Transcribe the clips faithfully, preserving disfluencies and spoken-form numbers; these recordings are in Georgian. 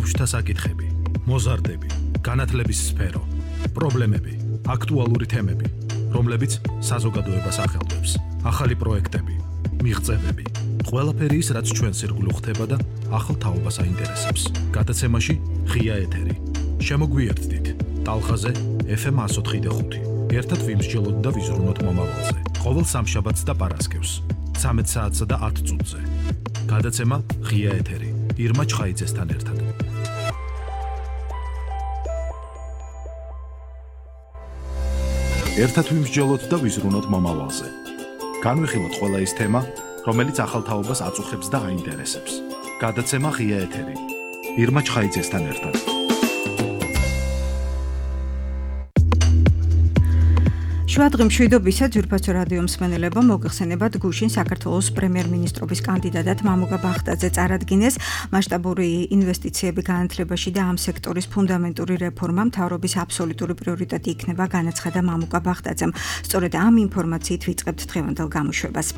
ბავშვთა საკითხები, მოზარდები, განათლების სფერო, პრობლემები, აქტუალური თემები, რომლებიც საზოგადოებას ახელვებს, ახალი პროექტები, მიღწევები, ყველაფერი ის, რაც ჩვენ სირგულო ხდება და ახალ თაობას აინტერესებს. გადაცემაში ღია ეთერი. შემოგვიერთდით ტალღაზე ეფ ემ εκατო ოთხი და ხუთი. ერთად ვიმსჯელოთ და ვიზრუნოთ მომავალზე. ყოველ სამშაბათს და პარასკევს, ცამეტ საათსა და ათ წუთზე. გადაცემა ღია ეთერი. ირმა ჩხაიძესთან ერთად. ერთად ვიმსჯელოთ და ვიზრუნოთ მომავალზე. განვიხილოთ ყველა ის თემა, რომელიც ახალ თაობას აწუხებს და აინტერესებს. გადაცემა ღია ეთერი. ირმა ჩხაიძესთან ერთად. შვადღი მშვიდობისა ძვირფასო რადიო მსმენელებო, მოგეხსენებათ გუშინ საქართველოს პრემიერ-მინისტრობის კანდიდატად მამუკა ბახტაძე წარადგინეს. მასშტაბური ინვესტიციები განათლებაში და ამ სექტორის ფუნდამენტური რეფორმა მთავრობის აბსოლუტური პრიორიტეტი იქნება, განაცხადა მამუკა ბახტაძემ. სწორედ ამ ინფორმაციით ვიწყებთ დღევანდელ გამოშვებას.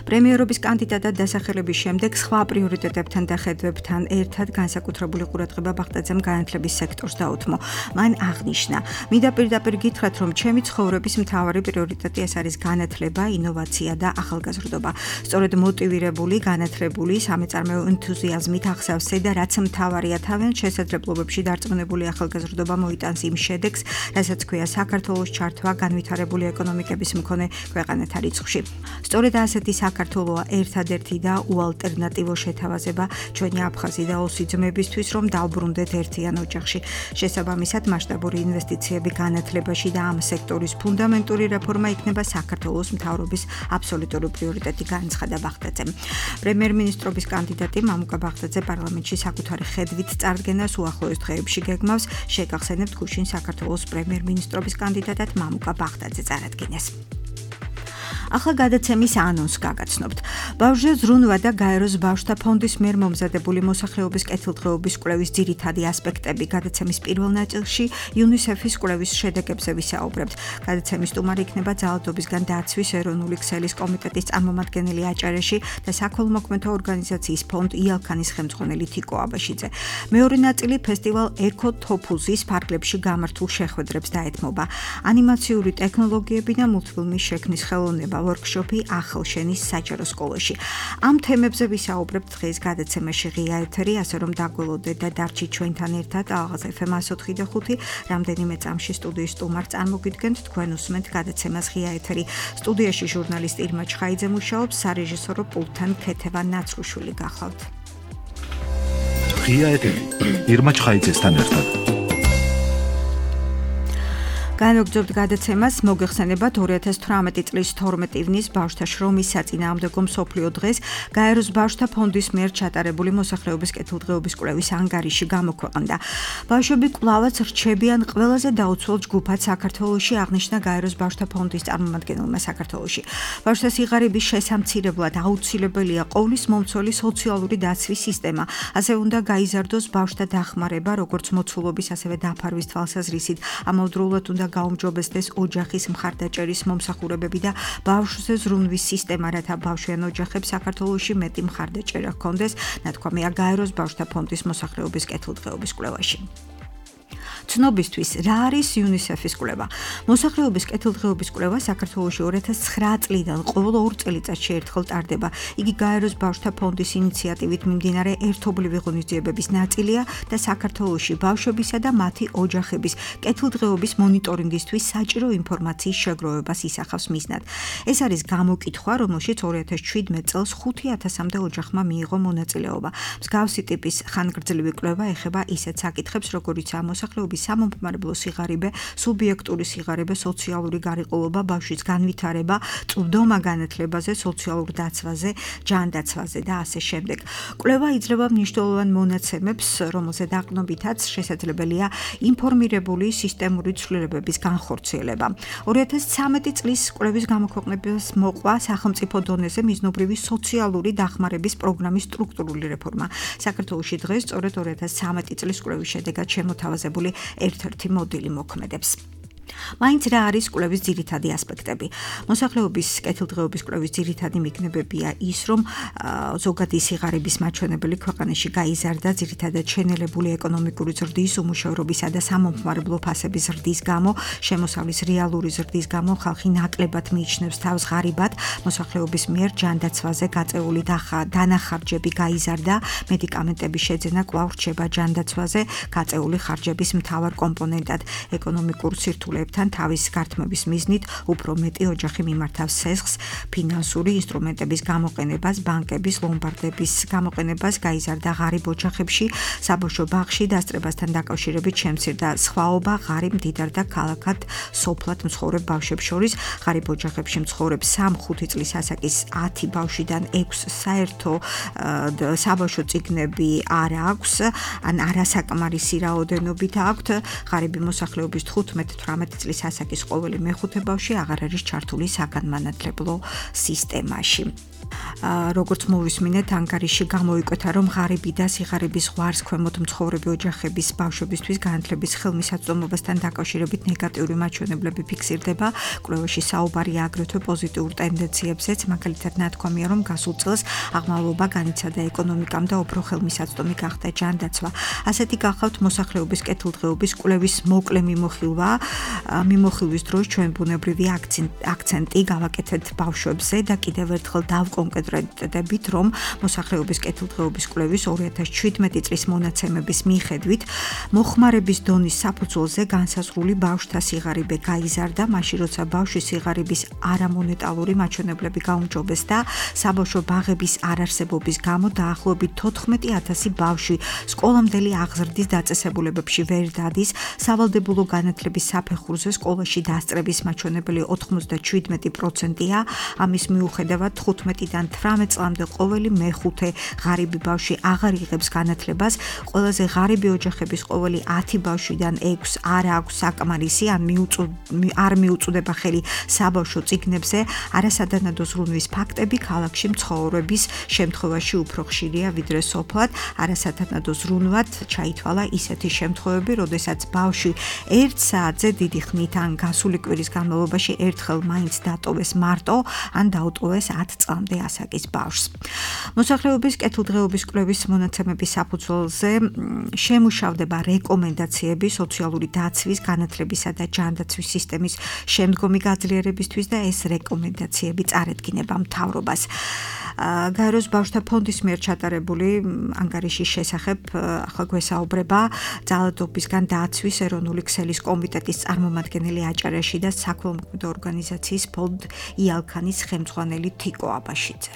პრემიერობის კანდიდატად დასახელების შემდეგ სხვა პრიორიტეტებთან და ხედვებთან ერთად განსაკუთრებული ყურადღება ბახტაძემ განათლების სექტორს დაუთმო. მან აღნიშნა: მინდა პირდაპირ გითხრათ, რომ ჩემი ცხოვრების მთავარი პრიორიტეტი ეს არის განათლება, ინოვაცია და ახალგაზრდობა. სწორედ მოტივირებული, განათლებული, სამეწარმეო ენთუზიაზმით ახსავსე და რაც მთავარია თავიანთ შესაძლებლობებში დარწმუნებული ახალგაზრდობა მოიტანს იმ შედეგს, რასაც ქვია საქართველოს ჩართვა განვითარებული ეკონომიკების მქონე ქვეყანათა რიცხვში. სწორედ ასეთი საქართველოა ერთადერთი და უალტერნატივო შეთავაზება ჩვენი აფხაზი და ოსი ძმებისთვის, რომ დავბრუნდეთ ერთიან ოჯახში. შესაბამისად, მასშტაბური ინვესტიციები განათლებაში და ამ სექტორის ფუნდამენტური რეფორმა იქნება საქართველოს მთავრობის აბსოლუტური პრიორიტეტი, განაცხადა ბახტაძემ. პრემიერ-მინისტრობის კანდიდატი მამუკა ბახტაძე პარლამენტში საკუთარი ხედვით წარდგენას უახლოეს დღეებში გეგმავს. შეგახსენებთ, გუშინ საქართველოს პრემიერ-მინისტრობის კანდიდატად მამუკა ბახტაძე წარადგინეს. ახლა გადაცემის ანონსს გაგაცნობთ. ბავშვზე ზრუნვა და გაეროს ბავშვთა ფონდის მიერ მომზადებული მოსახლეობის კეთილდღეობის კვლევის ძირითადი ასპექტები. გადაცემის პირველ ნაწილში იუნისეფის კვლევის შედეგებზე ვისაუბრებთ. გადაცემის სტუმარი იქნება ძალადობისგან დაცვის ეროვნული ქსელის კომიტეტის წარმომადგენელი აჭარეში და საქველმოქმედო ორგანიზაციის ფონდ იალქანის ხელმძღვანელი თიკო აბაშიძე. მეორე ნაწილი ფესტივალ ეკო თოფუზის ფარგლებში გამართულ შეხვედრებს დაეთმობა. ანიმაციური ტექნოლოგიები და მულტფილმის შექმნის ხელოვნება. ვორქშოპი ახალშენის საჯარო სკოლაში. ამ თემებზე ვისაუბრებთ დღეს გადაცემაში ღია ეთერი, ასე რომ დაგველოდეთ და დარჩით ჩვენთან ერთად. ალღაზ ეფ ემ εκατო ოთხი და ხუთი. რამდენიმე წამში სტუდიის სტუმარს წარმოგიდგენთ, თქვენ უსმენთ გადაცემას ღია ეთერი. სტუდიაში ჟურნალისტი ირმა ჩხაიძე მუშაობს, სარეჟისორო პულტთან ქეთევა ნაცრუშვილი გახლავთ. ღია ეთერი. ირმა ჩხაიძესთან ერთად. განვაგრძობთ გადაცემას, მოგეხსენებათ ორი ათას თვრამეტი წლის თორმეტი ივნის ბავშვთა შრომის საწინააღმდეგო მსოფლიო დღეს გაეროს ბავშვთა ფონდის მიერ ჩატარებული მოსახლეობის კეთილდღეობის კვლევის ანგარიში გამოქვეყნდა. ბავშვები კვლავაც რჩებიან ყველაზე დაუცველ ჯგუფად საქართველოში, აღნიშნა გაეროს ბავშვთა ფონდის წარმომადგენელმა საქართველოში. ბავშვთა სიღარიბის შესამცირებლად აუცილებელია ყოვლის მომცველი სოციალური დაცვის სისტემა. ასე უნდა გაიზარდოს ბავშვთა დახმარება, როგორც მოცულობის, ასევე დაფარვის თვალსაზრისით. ამავდროულად უნდა გაუმჯობესდეს ოჯახის მხარდაჭერის მომსახურებები და ბავშვზე ზრუნვის სისტემა, რათა ბავშვიან ოჯახებს საქართველოში მეტი მხარდაჭერა ჰქონდეს, ნათქვამია გაეროს ბავშვთა ფონდის მოსახლეობის კეთილდღეობის კვლევაში. ცნობისთვის, რა არის იუნისეფის კვლევა? მოსახლეობის კეთილდღეობის კვლევა საქართველოში ორი ათას ცხრა წლიდან ყოველ ორ წელიწადში ერთხელ ტარდება. იგი გაეროს ბავშვთა ფონდის ინიციატივით მიმდინარე ერთობლივი ღონისძიებების ნაწილია და საქართველოში ბავშვებისა და მათი ოჯახების კეთილდღეობის მონიტორინგისთვის საჭირო ინფორმაციის შეგროვებას ისახავს მიზნად. ეს არის გამოკითხვა, რომელშიც ორი ათას შვიდმეტ წელს ხუთი ათასამდე ოჯახმა მიიღო მონაწილეობა. მსგავსი ტიპის ხანგრძლივი კვლევა ეხება ისეთ საკითხებს, როგორიცაა მოსახლეობის სამომხმარებლო სიღარიბე, სუბიექტური სიღარიბე, სოციალური გარიყოლობა, ბავშვის განვითარება, წვდომა განათლებაზე, სოციალურ დაცვაზე, ჯანდაცვაზე და ასე შემდეგ. კვლევა იძლევა მნიშვნელოვან მონაცემებს, რომელზე დაყრდნობითაც შესაძლებელია ინფორმირებული სისტემური ცვლილებების განხორციელება. ორი ათას ცხრამეტი წლის კვლევის გამოქვეყნებას მოყვა სახელმწიფო დონეზე მიზნობრივი სოციალური დახმარების პროგრამის სტრუქტურული რეფორმა. საქართველოში დღეს სწორედ ორი ათას ცხრამეტი წლის კვლევის შედეგად შემოთავაზებული ერთ-ერთი მოდელი მოქმედებს. მაინც რა არის კვლევის ძირითადი ასპექტები? მოსახლეობის კეთილდღეობის კვლევის ძირითადი მიგნებებია ის, რომ ზოგადი სიღარიბის მაჩვენებელი ქვეყანაში გაიზარდა ძირითადად შენელებული ეკონომიკური ზრდის, უმუშევრობისა და სამომხმარებლო ფასების ზრდის გამო, შემოსავლის რეალური ზრდის გამო ხალხი ნაკლებად მიიჩნევს თავს ღარიბად, მოსახლეობის მიერ ჯანდაცვაზე გაწეული დანახარჯები გაიზარდა, მედიკამენტების შეძენა კვლავ რჩება ჯანდაცვაზე გაწეული ხარჯების მთავარ კომპონენტად, ეკონომიკურ სირთულეებთან თავის გართმების მიზნით უფრო მეტი ოჯახი მიმართავს სესხს, ფინანსური ინსტრუმენტების გამოყენებას, ბანკების, ლომბარდების გამოყენებას, გაიზარდა ღარიბ ოჯახებში, საბავშვო ბაღში დასწრებასთან დაკავშირებით შემცირდა სხვაობა ღარიბ მდიდარ და ქალაქად სოფლად მცხოვრებ ბავშვებს შორის, ღარიბ ოჯახებში მცხოვრებ სამ-ხუთი წლის ასაკის ათი ბავშვიდან ექვსს საერთო საბავშვო წიგნები არ აქვს, ან არასაკმარისი რაოდენობით აქვთ, ღარიბი მოსახლეობის თხუთმეტ-თვრამეტი წლის ასაკის ყოველი მეხუთე ბავშვი აღარ არის ჩართული საგანმანათლებლო სისტემაში. როგორც მოვისმინეთ, ანგარიში გამოიკვეთა, რომ ღარიბი და სიღარიბის ზღვარს ქვემოთ მცხოვრები ოჯახების ბავშვებისთვის განათლების ხელმისაწვდომობასთან დაკავშირებით ნეგატიური მაჩვენებლები ფიქსირდება. კვლევაში საუბარია აგრეთვე პოზიტიურ ტენდენციებზეც, მაგალითად ნათქვამია, რომ გასულ წელს აღმავლობა განიცადა ეკონომიკამ და უფრო ხელმისაწვდომი გახდა ჯანდაცვა. ასეთი გახავთ მოსახლეობის კეთილდღეობის კვლევის მოკლე მიმოხილვა. მიმოხილვის დროს ჩვენ ბუნებრივი აქცენტი გავაკეთეთ ბავშვებზე და კიდევ ერთხელ დავკონკრეტდებით, რომ მოსახლეობის კეთილდღეობის კვლევის ორი ათას შვიდმეტი წლის მონაცემების მიხედვით მოხმარების დონის საფუძველზე განსაზღვრული ბავშვთა სიღარიბე გაიზარდა, მაშინ როცა ბავშვის სიღარიბის არამონეტალური მაჩვენებლები გაუმჯობეს და საბავშვო ბაღების არარსებობის გამო დაახლოებით თოთხმეტი ათასი ბავშვი სკოლამდელი აღზრდის დაწესებულებებში ვერ დადის, სავალდებულო განათლების საფეხურზე სკოლაში დასწრების მაჩვენებელი ოთხმოცდაშვიდმეტი პროცენტია, ამის მიუხედავად თხუთმეტიდან თვრამეტ წლამდე ყოველი მეხუთე ღარიბი ბავშვი აღარ იღებს განათლებას, ყველაზე ღარიბი ოჯახების ყოველი ათი ბავშვიდან ექვსს არ აქვს საკმარისი ან არ მიუწვდება ხელი საბავშვო წიგნებზე, არასადანადო ზრუნვის ფაქტები ქალაქში მცხოვრების შემთხვევაში უფრო ხშირია ვიდრე სოფლად, არასადანადო ზრუნვად ჩაითვალა ისეთი შემთხვევები, როდესაც ბავშვი ერთ საათზე დიდი ხნით ან გასული კვირის განმავლობაში ერთხელ მაინც დატოვეს მარტო ან დაუტოვეს ათ წლამდე ასაკის ბავშვს. მოსახლეობის კეთილდღეობის კვლევის მონაცემების საფუძველზე შემუშავდება რეკომენდაციები სოციალური დაცვის, განათლებისა და ჯანდაცვის სისტემის შემდგომი გაძლიერებისთვის და ეს რეკომენდაციები წარედგინება მთავრობას. გაეროს ბავშვთა ფონდის მიერ ჩატარებული ანგარიშის შესახებ ახლა გვესაუბრება ძალადობისგან დაცვის ეროვნული ქსელის კომიტეტის წარმომადგენელი აჭარაში და საქველმოქმედო ორგანიზაციის ფონდ იალქანის ხელმძღვანელი თიკო აბაშიძე.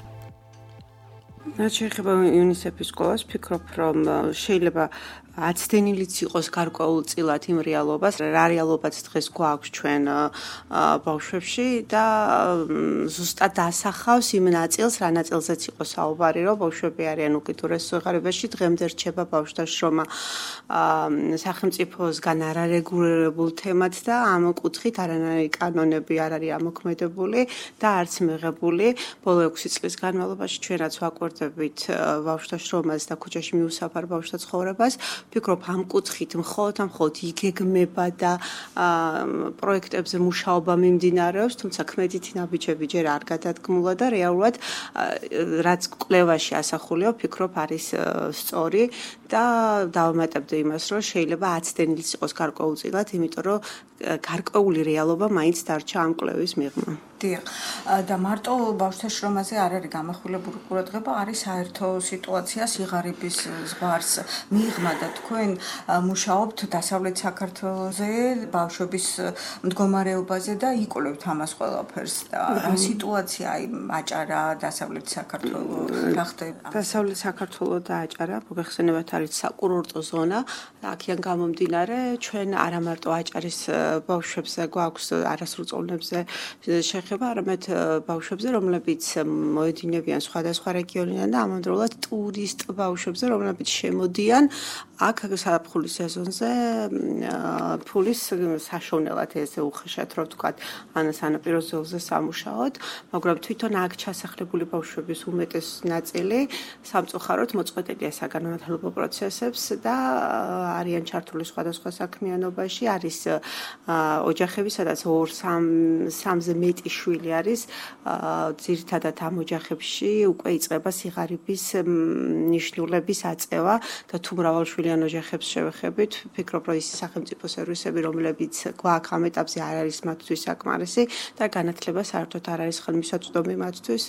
რაც შეეხება იუნისეფის სკოლას, ვფიქრობ, რომ შეიძლება აცდენილიც იყოს გარკვეულწილად იმ რეალობას, რა რეალობაც დღეს გვაქვს ჩვენ ბავშვებში და ზუსტად დასახავს იმ ნაწილს, რა ნაწილზეც იყო საუბარი, რომ ბავშვები არიან უკიდურეს სიღარიბეში, დღემდე რჩება ბავშვთა შრომა სახელმწიფოსგან არარეგულირებულ თემად და ამ კუთხით არანაირი კანონები არ არის ამოქმედებული და არც მიღებული. ბოლო ექვსი წლის განმავლობაში ჩვენაც ვაკვირდებით ბავშვთა შრომას და ქუჩაში მიუსაფარ ბავშვთა ცხოვრებას. ვფიქრობ, ამ კუთხით მხოლოდ ამ მხოლოდ იგეგმება და პროექტებზე მუშაობა მიმდინარეობს, თუმცა ქმედითი ნაბიჯები ჯერ არ გადადგმულა და რეალურად რაც კვლევაში ასახულია, ვფიქრობ, არის სწორი და დავამატებდი იმას, რომ შეიძლება აცდენილიც იყოს გარკვეულწილად, იმიტომ რომ გარკვეული რეალობა მაინც დარჩა ამ კვლევის მიღმა. დიახ, და მარტო ბავშვთა შრომაზე არ არის გამახვილებული ყურადღება, არის საერთო სიტუაცია სიღარიბის ზღვარს მიღმა და თქვენ მუშაობთ დასავლეთ საქართველოზე, ბავშვების მდგომარეობაზე და იკვლევთ ამას ყველაფერს. რა სიტუაცია აი აჭარა, დასავლეთ საქართველო, რა ხდება? დასავლეთ საქართველო და აჭარა მოგეხსენებათ არის საკურორტო ზონა, აქედან გამომდინარე ჩვენ არა მარტო აჭარის ბავშვებზე გვაქვს არასრულწლოვნებზე შეხება, არამედ ბავშვებზე, რომლებიც მოედინებიან სხვადასხვა რეგიონიდან და ამავდროულად ტურისტ ბავშვებზე, რომლებიც შემოდიან აქ საფრთხის სეზონზე ფულის საშოვნელად ესე უხეშად რო ვთქვათ, ან სანაპირო ზოლზე სამუშაოდ, მაგრამ თვითონ აქ ჩასახლებული ბავშვების უმეტეს ნაწილი სამწუხაროდ მოწყვეტილია საგანმანათლებლო პროცესებს და არიან ჩართული სხვადასხვა საქმიანობაში, არის ოჯახები, სადაც ორ სამზე მეტი შვილი არის, ძირითადად ამ ოჯახებში უკვე იწყება სიღარიბის ნიშნულების აწევა და თუ მრავალშვილიან ოჯახებს შევეხებით, ვფიქრობ, რომ ის სახელმწიფო სერვისები, რომლებიც გვაქვს ამ ეტაპზე არ არის მათთვის საკმარისი და განათლება საერთოდ არ არის ხელმისაწვდომი მათთვის.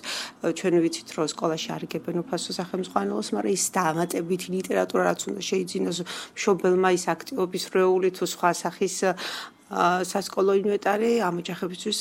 ჩვენ ვიცით, რომ სკოლაში არ იგებენ უფასო სახელმძღვანელოს, მაგრამ ის დამატებითი ლიტერატურა რაც უნდა შეიძინოს მშობელმა ის აქტივობის რეული თუ სხვა სახის სასკოლო ინვენტარი ამ ოჯახებისთვის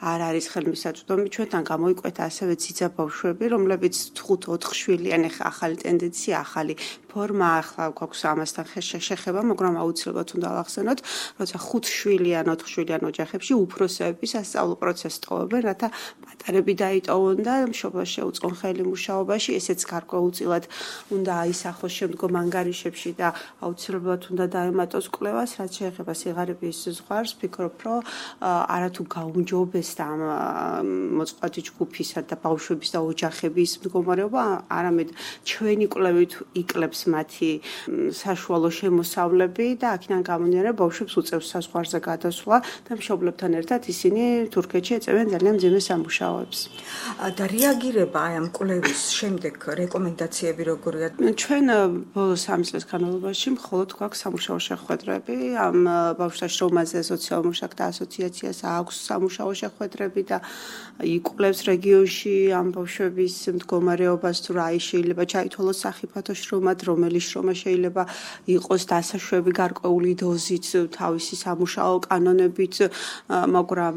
არ არის ხელმისაწვდომი. ჩვენთან გამოიკვეთა ასევე ციცაბ ბავშვები, რომლებიც ხუთ ოთხ შვილიან, ახლა ახალი ტენდენცია, ახალი ფორმა, ახლა გვაქვს ამასთან შეხება, მაგრამ აუცილებლად უნდა ავახსენოთ, როცა ხუთ შვილიან, ოთხ შვილიან ოჯახებში უფროსები სასწავლო პროცესს ტოვებენ, რათა პატარები დაიტოვონ და მშობლებს შეუწყონ ხელი მუშაობაში, ესეც გარკვეულწილად უნდა აისახოს შემდგომ ანგარიშებში და აუცილებლად უნდა დაემატოს კვლევას, რაც შეეხება სიღარიბის ზღვარს, ვფიქრობ, რომ არათუ გაუმჯობესდა ამ მოწყვლადი ჯგუფისა და ბავშვების და ოჯახების მდგომარეობა, არამედ ჩვენი კვლევით იკლებს მათი საშუალო შემოსავლები და აქედან გამომდინარე ბავშვებს უწევს საზღვარზე გადასვლა და მშობლებთან ერთად ისინი თურქეთში ეწევიან ძალიან მძიმე სამუშაოებს. და რეაგირება აი ამ კვლევის შემდეგ რეკომენდაციები როგორია? ჩვენ ბოლო სამი წლის განმავლობაში მხოლოდ გვაქვს სამუშაო შეხვედრები ამ ბავშვთა შრომაზე სოციალურ მუშაკთა ასოციაციას აქვს სამუშაო შეხვედრები და იკვლევს რეგიონში ამ ბავშვების მდგომარეობას, თუ რა შეიძლება ჩაითვალოს სახიფათო შრომად, რომელი შრომა შეიძლება იყოს დასაშვები გარკვეული დოზით, თავისი სამუშაო კანონებით, მაგრამ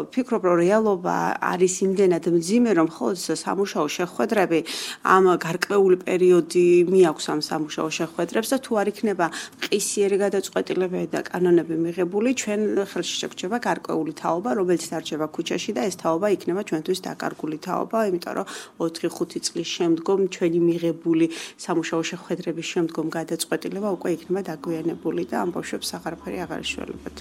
ვფიქრობ, რომ რეალობა არის იმდენად მძიმე, რომ მხოლოდ სამუშაო შეხვედრები ამ გარკვეული პერიოდი მიაქვს ამ სამუშაო შეხვედრებს და თუ არ იქნება მყისიერი გადაწყვეტილებები და კანონები მიღებული, ჩვენ ხელში შეგვჭება გარკვეული თაობა, რომელიც დარჩება ქუჩაში და ეს თაობა იქნება ჩვენთვის დაკარგული თაობა, იმიტომ რომ ოთხი ხუთი წლის შემდგომ ჩვენი მიღებული სამუშაო შეხვედრების შემდგომ გადაწყვეტილება უკვე იქნება დაგვიანებული და ამ ბავშვებს აღარაფერი აღარ ეშველებათ.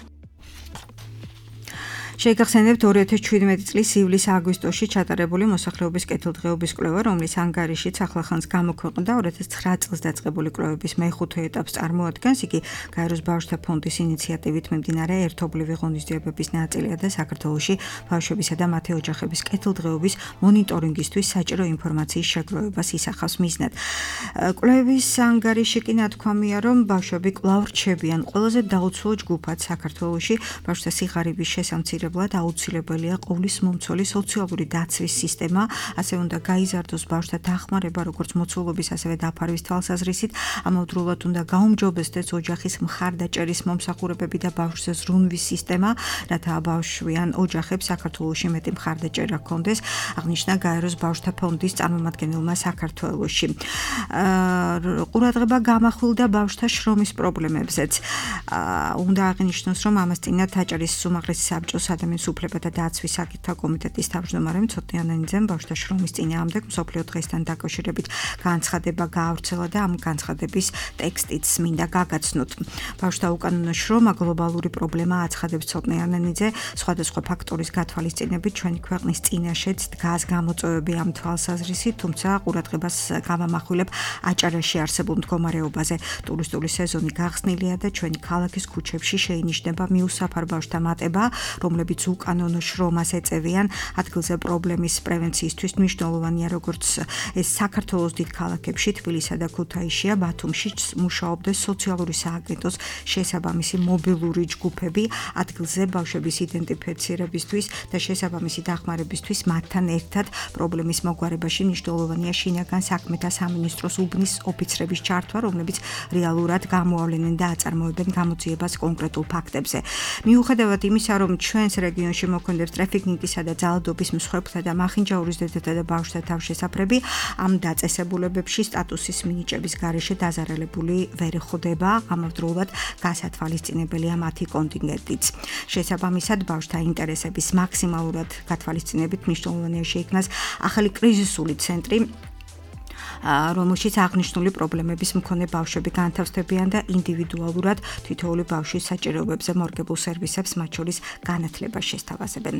შეგახსენებთ ორი ათას შვიდმეტი წლის ივლის-აგვისტოში ჩატარებული მოსახლეობის კეთილდღეობის კვლევა, რომლის ანგარიშიც ახლახანს გამოქვეყნდა ორი ათას ცხრა წელს დაწყებული კვლევების მეხუთე ეტაპს წარმოადგენს. იგი გაეროს ბავშვთა ფონდის ინიციატივით მიმდინარე ერთობლივი ღონისძიებების ნაწილია და საქართველოში ბავშვებისა და მათი ოჯახების კეთილდღეობის მონიტორინგისთვის საჭირო ინფორმაციის შეგროვებას ისახავს მიზნად. კვლევის ანგარიში კი ნათქვამია, რომ ბავშვები კვლავ რჩებიან ყველაზე დაუცველ ჯგუფად საქართველოში ბავშვთა სიღარიბის შესამცირებლად აუცილებელია ყოვლის მომცველი სოციალური დაცვის სისტემა, ასე უნდა გაიზარდოს ბავშვთა დახმარება, როგორც მოცულობის, ასევე დაფარვის თვალსაზრისით, ამავდროულად უნდა გაუმჯობესდეს ოჯახის მხარდაჭერის მომსახურებები და ბავშვზე ზრუნვის სისტემა, რათა ბავშვიან ოჯახებს საქართველოში მეტი მხარდაჭერა ჰქონდეს, აღნიშნა გაეროს ბავშვთა ფონდის წარმომადგენელმა საქართველოში. ყურადღება გამახვილდა ბავშვთა შრომის პრობლემებზეც. უნდა აღინიშნოს, რომ ამას წინათ აჭარის უმაღლესი საბჭოს ადამიანის უფლებათა დაცვის საკითხთა კომიტეტის თავმჯდომარემ ცოტნე ანანიძემ ბავშვთა შრომის წინააღმდეგ მსოფლიო დღესთან დაკავშირებით განცხადება გაავრცელა და ამ განცხადების ტექსტიც მინდა გაგაცნოთ. ბავშვთა უკანონო შრომა გლობალური პრობლემაა, აცხადებს ცოტნე ანანიძე, სხვადასხვა ფაქტორის გათვალისწინებით ჩვენი ქვეყნის წინაშეც დგას გამოწვევები ამ თვალსაზრისით, თუმცა ყურადღებას გამამახვილებ აჭარაში არსებულ მდგომარეობაზე. ტურისტული სეზონი გახსნილია და ჩვენი ქალაქის ქუჩებში შეინიშნება მიუსაფარ ბავშვთა მატება, რომლებიც უკანონო შრომას ეწევიან. ადგილზე პრობლემის პრევენციისთვის მნიშვნელოვანია, როგორც ეს საქართველოს დიდ ქალაქებში, თბილისსა და ქუთაისშია, ბათუმში მუშაობდეს სოციალური სააგენტოს შესაბამისი მობილური ჯგუფები ადგილზე ბავშვების იდენტიფიცირებისთვის და შესაბამისი დახმარებისთვის მათთან ერთად პრობლემის მოგვარებაში მნიშვნელოვანია შინაგან საქმეთა სამინისტროს უბნის ოფიცრების ჩართვა, რომლებიც რეალურად გამოავლენენ და აწარმოებენ გამოძიებას კონკრეტულ ფაქტებზე. მიუხედავად იმისა, რომ ჩვენს რეგიონში მოქმედებს ტრაფიკინგისა და ძალადობის მსხვერპლთა და მახინჯაურის დედებათა და ბავშვთა თავშესაფრები, ამ დაწესებულებებში სტატუსის მინიჭების გარეშე დაზარალებული ვერ ხდება, ამავდროულად გასათვალისწინებელია მათი კონტინგენტიც. შესაბამისად, ბავშვთა ინტერესების მაქსიმალურად გათვალისწინებით მნიშვნელოვანია შეიქმნას ახალი კრიზისული ცენტრი, რომელშიც აღნიშნული პრობლემების მქონე ბავშვები განთავსდებიან და ინდივიდუალურად თითოეული ბავშვის საჭიროებებზე მორგებულ სერვისებს, მათ შორის განათლებას შესთავაზებენ.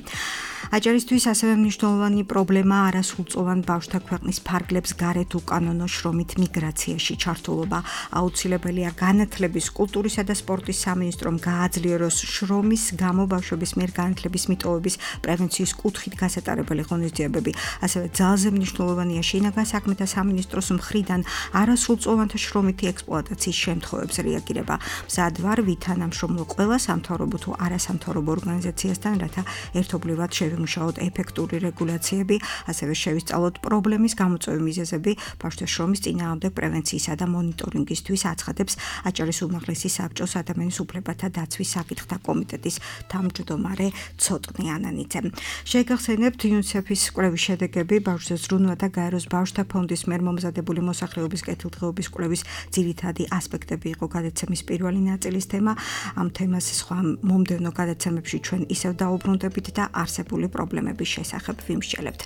აჭარისთვის ასევე მნიშვნელოვანი პრობლემა არასრულწლოვან ბავშვთა ქვეყნის ფარგლებს გარეთ უკანონო შრომით მიგრაციაში ჩართულობა. აუცილებელია განათლების, კულტურისა და სპორტის სამინისტრომ გააძლიეროს შრომის გამო ბავშვების მიერ განათლების მიტოვების პრევენციის კუთხით გასატარებელი ღონისძიებები. ასევე ძალზე მნიშვნელოვანია შინაგან საქმეთა სამინისტროს მხრიდან არასრულწლოვანთა შრომითი ექსპლუატაციის შემთხვევებზე რეაგირება. მზად ვარ ვითანამშრომლო ყველა სამთავრობო თუ არასამთავრობო ორგანიზაციასთან, რათა ერთობლივად შევიმუშაოთ ეფექტური რეგულაციები, ასევე შევისწავლოთ პრობლემის გამოწვევი მიზეზები. ბავშვთა შრომის წინააღმდეგ პრევენციისა და მონიტორინგისთვის აცხადებს აჭარის უმაღლესი საბჭოს ადამიანის უფლებათა დაცვის საკითხთა კომიტეტის თავმჯდომარე ცოტნე ანანიძე. შეგახსენებთ იუნისეფის კვლევის შედეგები ბავშვთა ზრუნვა და გაეროს ბავშვთა ფონდის მიერ მომზადებული მოსახლეობის კეთილდღეობის კვლევის ძირითადი ასპექტები იყო გადაცემის პირველი ნაწილის თემა. ამ თემას სხვა მომდევნო გადაცემებში ჩვენ ისევ დაუბრუნდებით და არსებული პრობლემების შესახებ ვიმსჯელებთ.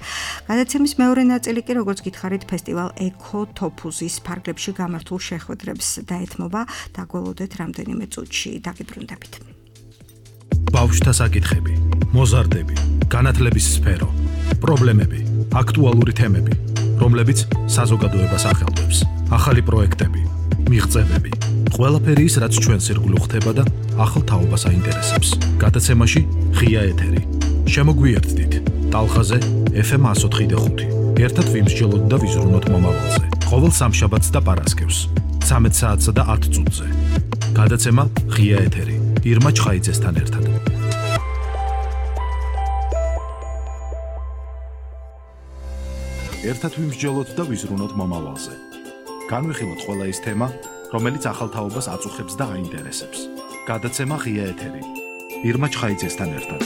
გადაცემის მეორე ნაწილი კი, როგორც გითხარით, ფესტივალ ეკოთოფუზის ფარგლებში გამართულ შეხვედრებს დაეთმობა. დაგველოდეთ რამდენიმე წუთში დაგიბრუნდებით. ბავშვთა საკითხები, მოზარდები, განათლების სფერო, პრობლემები, აქტუალური თემები, რომლებიც საზოგადოებას ახელვებს, ახალი პროექტები, მიღწევები, ყველაფერი ის, რაც ჩვენს ირგვლივ ხდება და ახალ თაობას აინტერესებს. გადაცემაში ღია ეთერი. შემოგვიერთდით ტალხაზე ეფ ემ εκατო ოთხი და ხუთი. ერთად ვიმსჯელოთ და ვიზრუნოთ მომავალზე. ყოველ სამშაბათს და პარასკევს, ცამეტ საათსა და ათ წუთზე. გადაცემა ღია ეთერი. ირმა ჩხაიძესთან ერთად. ერთად ვიმსჯელოთ და ვიზრუნოთ მომავალზე. განვიხილოთ ყველა ის თემა, რომელიც ახალ თაობას აწუხებს და აინტერესებს. გადაცემა ღია ეთერი. ირმა ჩხაიძესთან ერთად.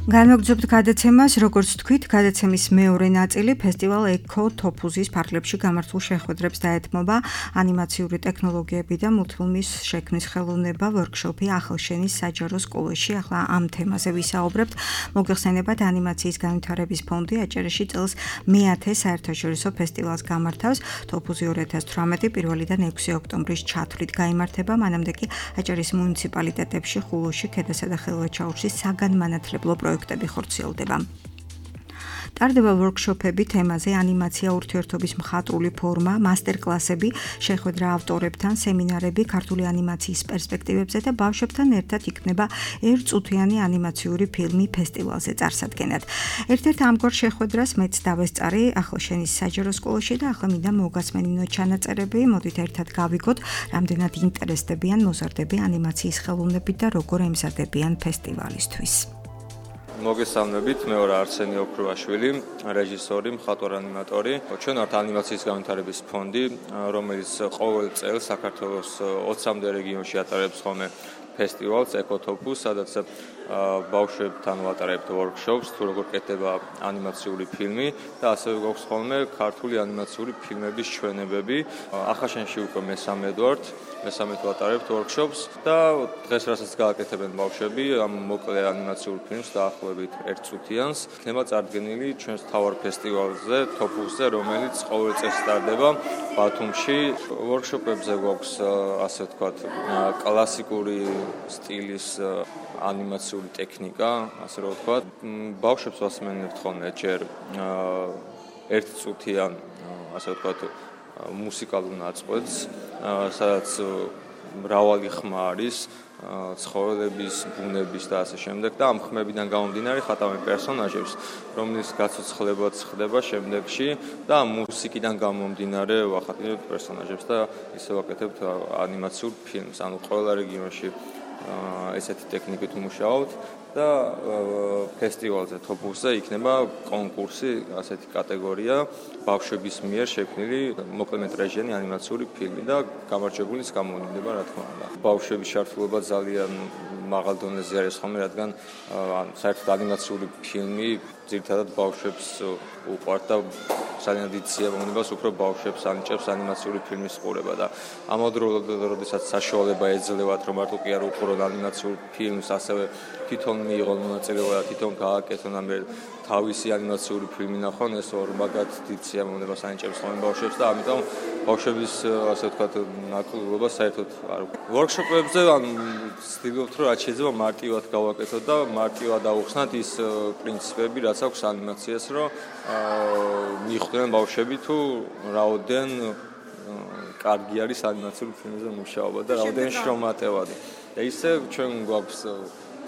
განვაგრძობთ გადაცემას, როგორც თქვით, გადაცემის მეორე ნაწილი ფესტივალ ეკოთოფუზის ფარგლებში გამართულ შეხვედრებს დაეთმობა. ანიმაციური ტექნოლოგიები და მულტფილმის შექმნის ხელოვნება, ვორქშოპი ახალშენის საჯარო სკოლაში. ახლა ამ თემაზე ვისაუბრებთ. მოგეხსენებათ, ანიმაციის განვითარების ფონდი აჭარაში წელს მეათე საერთაშორისო ფესტივალს გამართავს. თოფუზი ორი ათას თვრამეტი პირველიდან ექვსი ოქტომბრის ჩათვლით გაიმართება. მანამდე კი აჭარის მუნიციპალიტეტებში, ხულოში, ქედასა და ხელვაჩაურში საგანმანათლებლო პროექტები ხორციელდება. ტარდება ვორქშოპები თემაზე ანიმაცია ურთიერთობის მხატვრული ფორმა, მასტერკლასები, შეხვედრა ავტორებთან, სემინარები ქართული ანიმაციის პერსპექტივებზე და ბავშვებთან ერთად იქნება ერთწუთიანი ანიმაციური ფილმი ფესტივალზე წარსადგენად. ერთ-ერთ ამგვარ შეხვედრას მეც დავესწარი ახალშენის საჯარო სკოლაში და ახლა მინდა მოგასმენინოთ ჩანაწერები, მოდით ერთად გავიგოთ, რამდენად ინტერესდებიან მოზარდები ანიმაციის ხელოვნებით და როგორ ემზადებიან ფესტივალისთვის. მოგესალმებით, მე ვარ არსენი ოქრუაშვილი, რეჟისორი, მხატვარ-ანიმატორი. ჩვენ ვართ ანიმაციის განვითარების ფონდი, რომელიც ყოველ წელს საქართველოს ოცამდე რეგიონში ატარებს ხოლმე ფესტივალს ეკოთოფუს, სადაც ბავშვებთან ვატარებთ ვორქშოპს, თუ როგორ კეთდება ანიმაციური ფილმი და ასევე გვაქვს ხოლმე ქართული ანიმაციური ფილმების ჩვენებები. ახალშენში უკვე მესამედ ვართ, მესამედ ვატარებთ ვორქშოპს და დღეს რასაც გააკეთებენ ბავშვები ამ მოკლე ანიმაციურ ფილმს დაახლოებით ერთწუთიანს, იქნება წარდგენილი ჩვენს მთავარ ფესტივალზე, თოფუსზე, რომელიც ყოველ წელს ტარდება ბათუმში. ვორქშოპებზე გვაქვს ასე ვთქვათ კლასიკური სტილის ანიმაციური ტექნიკა, ასე რომ ვთქვათ. ბავშვებს ვასმენებთ ხოლმე ჯერ ერთწუთიან, ასე ვთქვათ, მუსიკალურ ნაწყვეტს, სადაც მრავალი ხმა არის, ცხოველების, ბუნების და ასე შემდეგ და ამ ხმებიდან გამომდინარე ხატავენ პერსონაჟებს, რომლის გაცოცხლებაც ხდება შემდეგში და მუსიკიდან გამომდინარე ვახატავთ პერსონაჟებს და ისე ვაკეთებთ ანიმაციურ ფილმს. ანუ ყველა რეგიონში ესეთი ტექნიკით ვმუშაობთ და ფესტივალზე თოფუსზე იქნება კონკურსი, ასეთი კატეგორია ბავშვების მიერ შექმნილი მოკლემეტრაჟიანი ანიმაციური ფილმი და გამარჯვებულის გამოვიდა, რა თქმა უნდა. ბავშვების ჩართულობა ძალიან მაღალ დონეზე არის ხოლმე, რადგან საერთოდ ანიმაციური ფილმი ძირითადად ბავშვებს უყვართ და ძალიან დიდ სიამოვნებას უფრო ბავშვებს ანიჭებს ანიმაციური ფილმის ყურება და ამავდროულად, როდესაც საშუალება ეძლევათ, რომ მარტო კი არ უყურონ ანიმაციურ ფილმს, ასევე თვითონ მიიღონ მონაწილეობა და თვითონ გააკეთონ ამ თავისი ანიმაციური ფილმი ნახონ, ეს ორმაგად დიდ სიამოვნებას ანიჭებს ხოლმე ბავშვებს და ამიტომ ბავშვების ასე ვთქვათ ნაკლულობა საერთოდ არ ვორქშოპებზე ან ვცდილობთ რომ რაც შეიძლება მარტივად გავაკეთოთ და მარტივად დავუხსნათ ის პრინციპები, რაც აქვს ანიმაციას, რომ მიხვდნენ ბავშვები თუ რაოდენ კარგი არის ანიმაციური ფილმზე მუშაობა და რაოდენ შრომატევადი. და ისე ჩვენ გვაქვს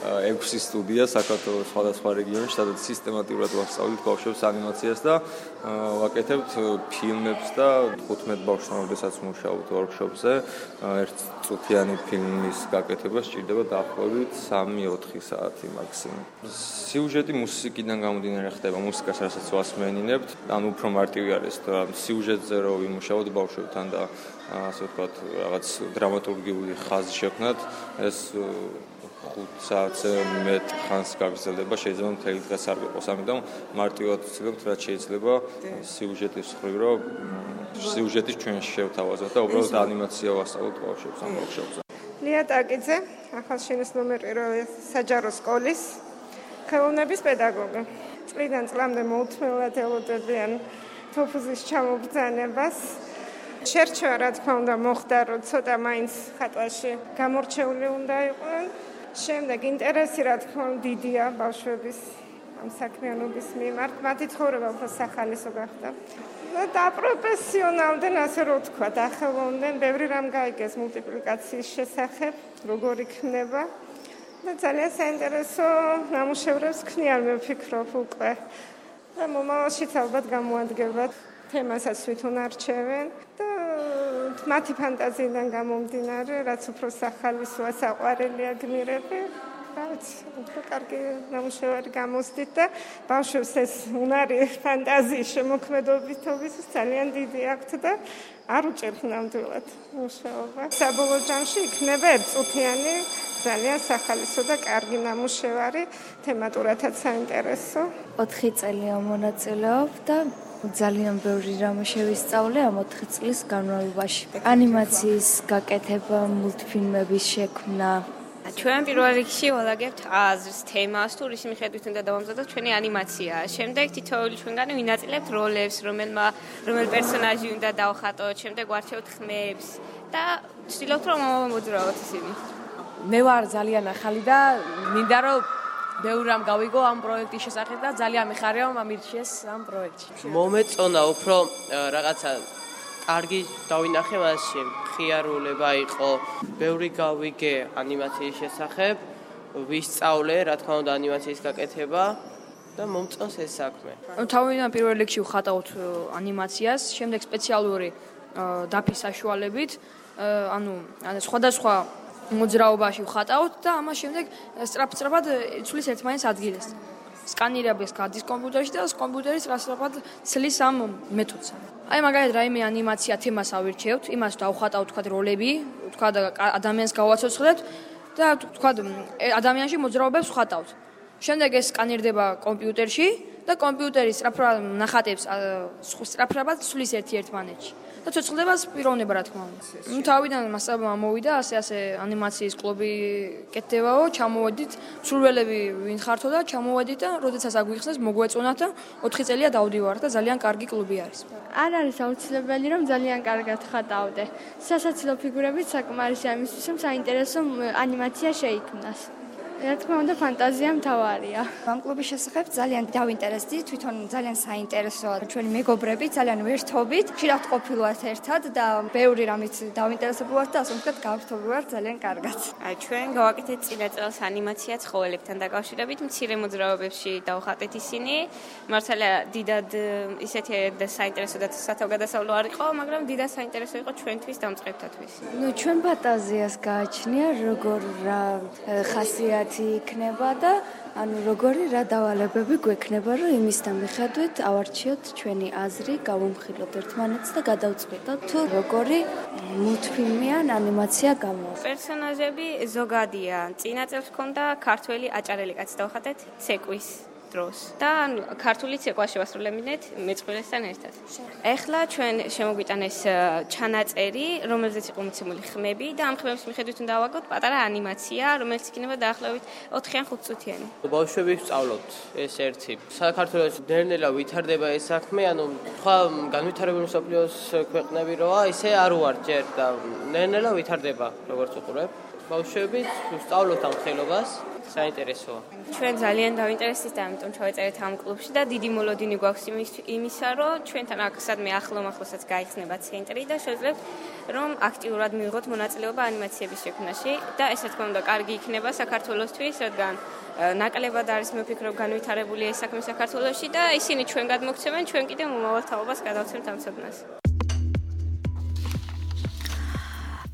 ექვსი სტუდია საქართველოს სხვადასხვა რეგიონში, სადაც სისტემატურად ვასწავლით ბავშვებს ანიმაციას და ვაკეთებთ ფილმებს და თხუთმეტ ბავშვთან როდესაც მუშაობთ ვორქშოპზე, ერთ წუთიანი ფილმის გაკეთება სჭირდება დაახლოებით სამი ოთხი საათი მაქსიმუმ. სიუჟეტი მუსიკიდან გამომდინარე ხდება, მუსიკას რასაც ვასმენინებთ, ან უფრო მარტივი არის, რომ სიუჟეტზე რო ვიმუშაოთ ბავშვებთან და ასე ვთქვათ, რაღაც დრამატურგიული ხაზი შექმნათ, ეს ხუთ საათზე მეტ ხანს გაგრძელდება, შეიძლება მთელი დღე არ გიყოს, ამიტომ მარტივად ვცდილობთ, რაც შეიძლება სიუჟეტის მხრივ, რომ სიუჟეტის ჩვენ შევთავაზოთ და უბრალოდ ანიმაცია ვასწავლოთ ბავშვებს ამ ვორქშოპზე. ლია ტაკიძე, ახალშენის ნომერ პირველი საჯარო სკოლის ხელოვნების პედაგოგი. წლიდან წლამდე მოუთმენლად ელოდებიან თოფუზის ჩამობრძანებას. შერჩევა, რა თქმა უნდა, მოხდა, რომ ცოტა მაინც ხატვაში გამორჩეული უნდა იყვნენ. შემდეგ ინტერესი, რა თქმა უნდა, დიდია ბავშვების ამ საქმიანობის მიმართ. მათი ცხოვრება უფრო სახალისო გახდა. და პროფესიონალდნენ, ასე რომ ვთქვა, ახალონდნენ, ბევრი რამ გაიგეს მულტიპლიკაციის შესახებ, როგორ იქნება. და ძალიან საინტერესო ნამუშევრებს ქნიან, მე ვფიქრობ უკვე. და მომავალშიც ალბათ გამოადგებათ თემასაც თვითონ არჩევენ და მათი ფანტაზიიდან გამომდინარე, რაც უფრო სახალისოა, საყვარელია, გმირები, რაც უფრო კარგი ნამუშევარი გამოსდით და ბავშვებს ეს უნარი ფანტაზიის შემოქმედობისთვის ძალიან დიდი აქვთ და არ უჭერთ ნამდვილად მუშაობა. საბოლოო ჯამში იქნება ერთწუთიანი ძალიან სახალისო და კარგი ნამუშევარი, თემატურადაც საინტერესო. ოთხი წელი ამონაწილეობ და ძალიან ბევრი რამ შევისწავლე ამ ოთხი წლის განმავლობაში. ანიმაციის გაკეთება, მულტფილმების შექმნა. ჩვენ პირველ რიგში ვალაგებთ აზრს, თემას, თუ რის მიხედვით უნდა დავამზადოთ ჩვენი ანიმაცია. შემდეგ თითოეული ჩვენგანი ვინაწილებთ როლებს, რომელმა რომელ პერსონაჟი უნდა დავხატოთ, შემდეგ ვარჩევთ ხმებს და ვცდილობთ რომ მოძრაოთ ისინი. მე ვარ ძალიან ახალი და მინდა რომ ბევრი რამ გავიგო ამ პროექტის შესახებ და ძალიან მიხარია რომ ამირჩიეს ამ პროექტში. მომეწონა უფრო რაღაცა კარგი დავინახე მასში, ხიარულება იყო, ბევრი გავიგე ანიმაციის შესახებ, ვისწავლე, რა თქმა უნდა, ანიმაციის გაკეთება და მომწონს ეს საქმე. თავიდან პირველ რიგში ვხატავთ ანიმაციას, შემდეგ სპეციალური დაფის საშუალებით, ანუ სხვადასხვა მოძრაობაში ვხატავთ და ამას შემდეგ სწრაფ-სწრაფად ცვლის ერთმანეთს ადგილას. სკანირებას გადის კომპიუტერში და კომპიუტერი სწრაფ-სწრაფად ცლის ამ მეთოდს. აი მაგალითად რაიმე ანიმაცია თემას ავირჩევთ, იმას დავხატავთ თქვა როლები, თქვა ადამიანს გავაცოცხლებთ და თქვა ადამიანში მოძრაობებს ვხატავთ. შემდეგ ეს სკანირდება კომპიუტერში და კომპიუტერი სწრაფად ნახატებს სწრაფად ცვლის ერთი-ერთმანეთში. და ცოცხლებას პიროვნება რა თქმა უნდა. ნუ თავიდან მასალა მოვიდა, ასე-ასე ანიმაციის კლუბი კეთდებაო, ჩამოვედით, სრულველები ვინ ხართო და ჩამოვედით და როდესაც აგვიხსნეს, მოგვეწონათ და ოთხი წელია დავდივართ და ძალიან კარგი კლუბი არის. არ არის აუცილებელი რომ ძალიან კარგად ხატავდე. სასაცილო ფიგურებით საკმარისია იმისთვის, რომ საინტერესო ანიმაცია შეიქმნას. რა თქმა უნდა ფანტაზია მთავარია. ამ კლუბის შესახებ ძალიან დავინტერესდი, თვითონ ძალიან საინტერესოა. ჩვენი მეგობრები ძალიან ვერთობით, ხშირად ყოფილვართ ერთად და ბევრი რამით დავინტერესებული ვართ და ასე ვთქვათ, გავერთობი ვართ ძალიან კარგად. ჩვენ გავაკეთეთ წინა წელს ანიმაცია ცხოველებთან დაკავშირებით, მცირე მოძრაობებში დავხატეთ ისინი. მართალია დიდად ისეთი საინტერესო და სათავგადასავლო არ იყო, მაგრამ დიდად საინტერესო იყო ჩვენთვის დამწყებთათვის. ნუ ჩვენ ფანტაზიას გააჩნია, როგორ რა ხასიათი იქნება და ანუ როგორი რა დავალებები გვექნება, რომ იმის მიხედვით ავარჩიოთ ჩვენი აზრი, გავუმხილოთ ერთმანეთს და გადავწყვიტოთ თუ როგორი მულტფილმი ან ანიმაცია გამოვა. პერსონაჟები ზოგადია. წინა წელს ჰქონდა ქართველი აჭარელი კაცი დავხატეთ ცეკვის დროს და ქართულიც ეყვა შევასრულებინეთ მეწყვილესთან ერთად. ეხლა ჩვენ შემოგვიტანეს ჩანაწერი, რომელზეც იყო მოცემული ხმები და ამ ხმების მიხედვით უნდა ავაგოთ პატარა ანიმაცია, რომელიც იქნება დაახლოებით ოთხი ან ხუთი წუთიანი. ბავშვები სწავლობთ ეს ერთი. საქართველოს ნელ-ნელა ვითარდება ეს საქმე, ანუ სხვა განვითარებული მსოფლიოს ქვეყნები როა, ისე არ უართ ჯერ და ნელ-ნელა ვითარდება, როგორც უყურებ. ბავშვები სწავლობთ ამ ხელობას, საინტერესოა. ჩვენ ძალიან დავინტერესდით და ამიტომ ჩავეწერეთ ამ კლუბში და დიდი მოლოდინი გვაქვს იმისა, რომ ჩვენთან აქ სადმე ახლო-ახლოსაც გაიხსნება ცენტრი და შეძლებთ რომ აქტიურად მიიღოთ მონაწილეობა ანიმაციების შექმნაში და ესე თქმა უნდა კარგი იქნება საქართველოსთვის, რადგან ნაკლებად არის მოფიქრობ განვითარებული ეს საქმე საქართველოში და ისინი ჩვენ გადმოგცემენ, ჩვენ კიდე მომავალ თაობას გადავცემთ ამ ცოდნას.